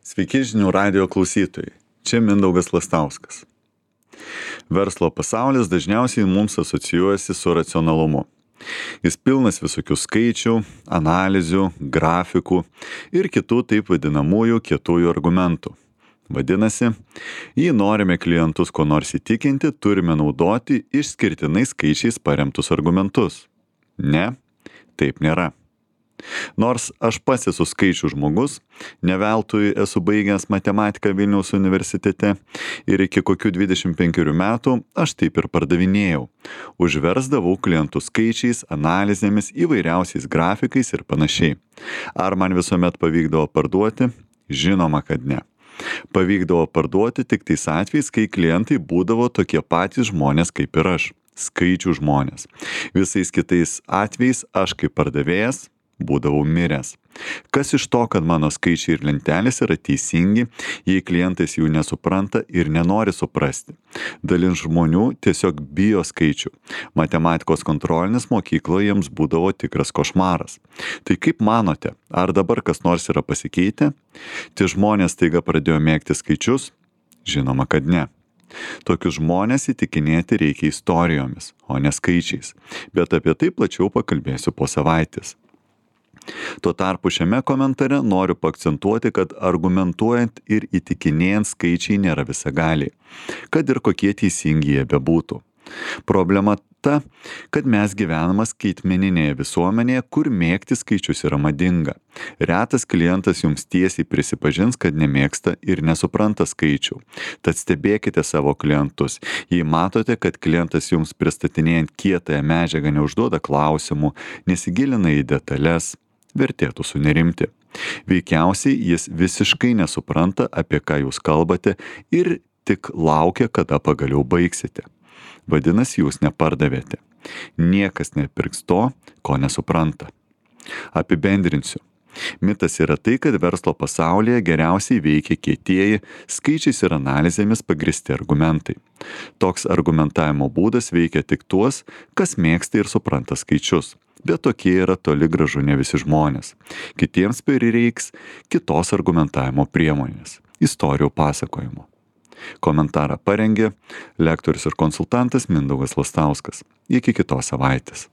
Sveiki žinių radijo klausytojai, čia Mindaugas Lastauskas. Verslo pasaulis dažniausiai mums asocijuojasi su racionalumu. Jis pilnas visokių skaičių, analizių, grafikų ir kitų taip vadinamųjų kietųjų argumentų. Vadinasi, jei norime klientus ko nors įtikinti, turime naudoti išskirtinai skaičiais paremtus argumentus. Ne, taip nėra. Nors aš pats esu skaičių žmogus, ne veltui esu baigęs matematiką Vilniaus universitete ir iki kokių 25 metų aš taip ir pardavinėjau. Užversdavau klientus skaičiais, analizėmis, įvairiausiais grafikais ir panašiai. Ar man visuomet pavykdavo parduoti? Žinoma, kad ne. Pavykdavo parduoti tik tais atvejais, kai klientai būdavo tokie patys žmonės kaip ir aš. Skaičių žmonės. Visais kitais atvejais aš kaip pardavėjas būdavau miręs. Kas iš to, kad mano skaičiai ir lentelės yra teisingi, jei klientas jų nesupranta ir nenori suprasti? Dalis žmonių tiesiog bijo skaičių. Matematikos kontrolinis mokykloje jiems būdavo tikras košmaras. Tai kaip manote, ar dabar kas nors yra pasikeitę? Tie žmonės staiga pradėjo mėgti skaičius? Žinoma, kad ne. Tokius žmonės įtikinėti reikia istorijomis, o ne skaičiais. Bet apie tai plačiau pakalbėsiu po savaitės. Tuo tarpu šiame komentare noriu paakcentuoti, kad argumentuojant ir įtikinėjant skaičiai nėra visagaliai, kad ir kokie teisingi jie bebūtų. Problema ta, kad mes gyvename skaitmeninėje visuomenėje, kur mėgti skaičius yra madinga. Retas klientas jums tiesiai prisipažins, kad nemėgsta ir nesupranta skaičių. Tad stebėkite savo klientus. Jei matote, kad klientas jums pristatinėjant kietąją medžiagą neužduoda klausimų, nesigilina į detalės, vertėtų sunerimti. Veikiausiai jis visiškai nesupranta, apie ką jūs kalbate ir tik laukia, kada pagaliau baigsite. Vadinasi, jūs nepardavėte. Niekas nepirks to, ko nesupranta. Apibendrinsiu. Mitas yra tai, kad verslo pasaulyje geriausiai veikia kietieji, skaičiais ir analizėmis pagristi argumentai. Toks argumentavimo būdas veikia tik tuos, kas mėgsta ir supranta skaičius. Bet tokie yra toli gražu ne visi žmonės. Kitiems prireiks kitos argumentavimo priemonės – istorijų pasakojimo. Komentarą parengė lektorius ir konsultantas Mindaugas Lastauskas. Iki kitos savaitės.